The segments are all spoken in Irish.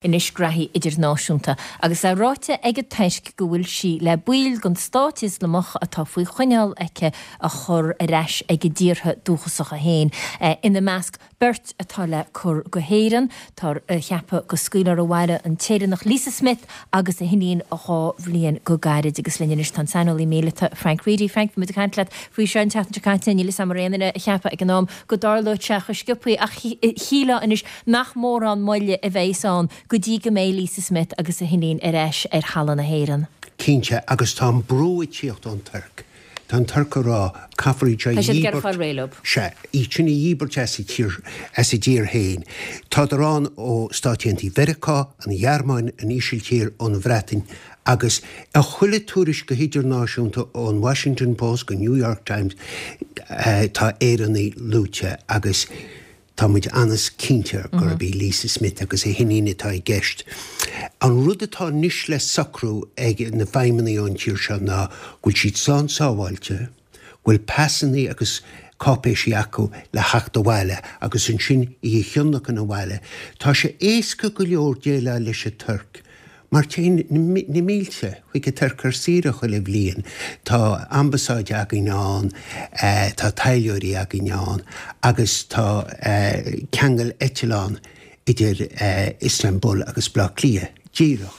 Anois graithí idirnáisiúnta agus é ráite ag an Tuirc go bhfuil sí le baill den Stát Ioslamach atá faoi choinneáil aici a chur ar ais ag a dtíortha dúchasacha féin, ina measc beirt atá le cur go hÉireann. Táthar a cheapadh go scaoilfear abhaile an tÉireannach Lisa Smith agus a hiníon 2 bhliain go gairid. Agus linn anois tá an saineolaí míleata Frank Reidy. Frank, bhí muid ag caint leat faoi seo an tseachtain seo caite, níl 'fhios a'm an raibh aon duine a cheapadh ag an am go dtarlódh sé chomh sciobthaí ach shílfeá anois nach mórán moille a bheas ann go dtí go mbeidh Lisa Smith agus a hiníon ar ais ar thalamh na hÉireann. Cinnte, agus tá an brú ag tíocht ón Tuirc. Tá an Tuirc ag rá, caithfear iad seo a Tá siad ag iarraidh fáil réidh leo. Sea, iad sin a dhíbirt as a tír, as a dtír féin. Tádar ann ó Stáit Aontaithe Mheiriceá, an Ghearmáin, an Ísiltír, ón Bhreatain agus i chuile tuairisc go hidirnáisiúnta ón Washington Post go New York Times tá Éireannaigh luaite agus Tá muid an-chinnte gurb í Lisa Smith agus a hiníon atá i gceist. An rud atá anois le socrú ag na feidhmeannaigh ón tír seo ná go bhfuil siad slán sábháilte, go bhfuil pasannaí agus cáipéisí acu le theacht abhaile agus ansin í a thionlacan abhaile. Tá sé éasca go leor déileáil leis an Tuirc Mar téann na mílte chuig an Tuirc ar saoire chuile bhliain. Tá ambasáid againn ann, tá taidhleoirí againn ann agus tá ceangal eitleán idir Iostanbul agus Baile Átha Cliath díreach.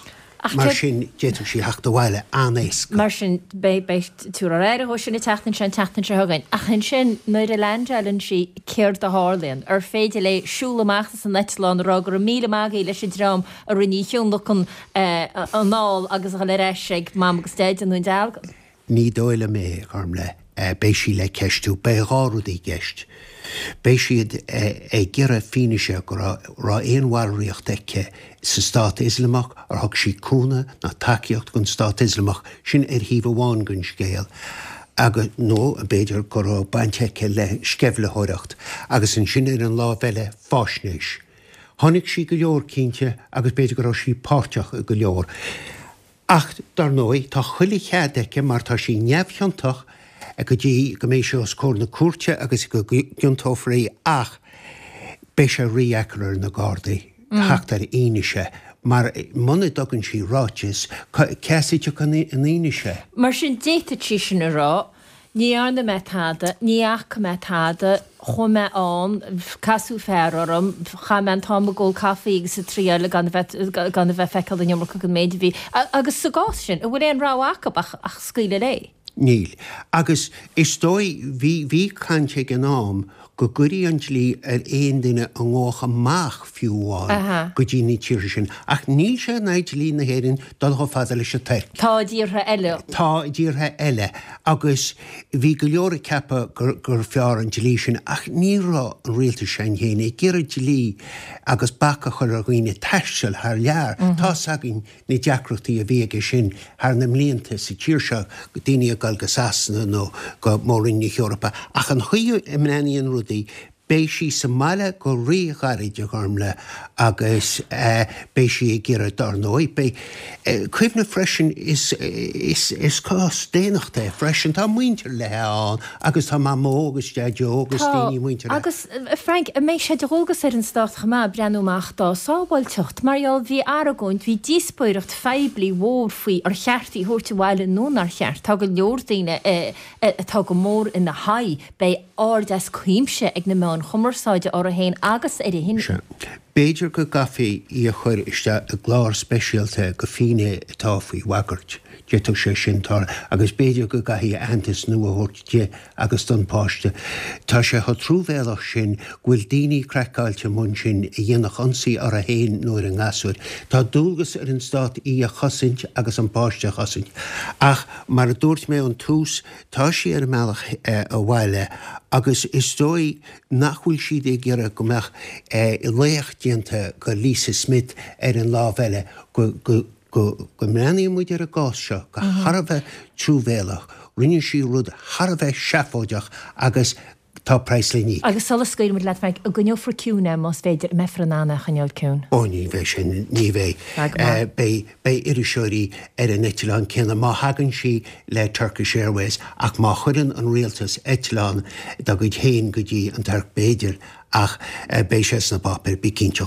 Mar sin d'fhéadfadh sí theacht abhaile an-éasca. Mar sin beidh tabharfar aire dhó sin an tseachtain seo, an tseachtain seo chugainn. Ach ansin nuair a leaindeáileann sí céard a tharlaíonn? Ar féidir léi siúl amach as an eitleán a rá go raibh míle maith agaibh leis an dream a rinne í a thionlacan anall agus a dhul ar ais ag Mam agus Deaid i nDún Dealgan. Ní dóigh liom é, a Ghormlaith. Beidh sí le ceistiú. Beidh 2 rud i gceist. Beidh siad ag iarraidh fianaise go raibh aon bhallraíocht aici sa Stát Ioslamach, ar thug sí cúnamh ná tacaíocht don Stát Ioslamach, sin ar thaobh amháin den scéal, agus, nó b'fhéidir go raibh baint aici le sceimhlitheoireacht, agus ansin ar an lámh eile, faisnéis. Chonaic sí go leor, cinnte, agus b'fhéidir go raibh sí páirteach i go leor. Ach, dar ndóigh, tá chuile chead aici, mar tá sí neamhchiontach go dtí go mbeidh sí os comhair na cúirte agus go gciontófar í, ach beidh sé rídheacair ar na Gardaí theacht ar fhianaise, mar muna dtugann sí ráiteas, cé as a dtiocfaidh an fhianaise? Mar sin, d'fhéadfadh sí sin a rá, Ní dhearna mé tada, ní fhaca mé tada, chuaigh mé ann, casadh fear orm, chaith mé an t-am ag ól caife agus ag triáil gan a bheith, gan a bheith ag feiceáil an iomarca den méid a bhí. Agus sa gcás sin, an bhfuil aon rogha acu ach, ach scaoileadh léi? Níl. Agus is dóigh, bhí, bhí caint ag an am go gcuirfí an dlí ar aon duine a ngabhfadh amach fiú amháin go dtí na tíortha sin. Ach níl sé in aghaidh dlí na hÉireann dul chomh fada leis an Tuirc. Tá i dtíortha eile. Tá i dtíortha eile. Agus bhí go leor ag ceapadh gur fearr an dlí sin ach ní raibh an rialtas s'againn féin ag iarraidh dlí agus bac a chur ar dhaoine taisteal thar lear. Tá's againn na deacrachtaí a bhí aige sin thar na mblianta sa tír seo, daoine ag dul go Sasana nó go Mór-Roinn na hEorpa, ach an chaoi a mbreathnaíonn rudaí, beidh sí sa mbaile go rí-ghairid, a Ghormlaith, agus beidh sí ag iarraidh, dár ndóigh, beidh, cuimhnigh freisin, is, is, is cás daonnachta é freisin, tá muintir léi ann agus tá Mamó agus Deaideo agus Tá, daoine muinteartha. agus, Frank, an mbeidh sé de dhualgas ar an Stát chomh maith breathnú amach dá sábháilteacht? Mar gheall, bhí argóint, bhí díospóireacht phoiblí mhór faoi ar cheart í a thabhairt abhaile nó nár cheart. Tá go leor daoine atá go mór ina haghaidh. Beidh aird as cuimse ag na meáin chumarsáide uirthi féin agus ar a hiníon. Sea. B'fhéidir go gcaithfí í a chur isteach i gclár speisialta do fhinnéithe atá faoi bhagairt. D'fhéadfadh sé sin tarlú. Agus b'fhéidir go gcaithfí aitheantas nua a thabhairt di agus don pháiste. Tá sé chomh truamhéalach sin go bhfuil daoine craiceáilte amuigh ansin a dhéanfadh ionsaí uirthi féin nó ar an ngasúr. Tá dualgas ar an stát í a chosaint agus an páiste a chosaint. Ach mar a dúirt mé ón tús, tá sí ar a mbealach abhaile agus is dóigh nach bhfuil siad ag iarraidh go mbeadh laoch déanta de Lisa Smith ar an lámh eile, go mbreathnaíonn muid ar an gcás seo go thar a bheith truamhéalach. Rinne sí rud thar a bheith seafóideach agus tá praghas le n-íoc. Agus sula scaoilfidh muid leat, Frank, an gcoinneofar ciúin é más féidir, an mbeifear in ann é a choinneáil ciúin? Ó ní bheidh sin, ní bheidh. Beidh. Beidh iriseoirí ar an eitleán céanna má thagann sí le Turkish Airways ach má chuireann an rialtas eitleán dá gcuid féin go dtí an Tuirc b'fhéidir ach beidh sé sna páipéir, bí cinnte.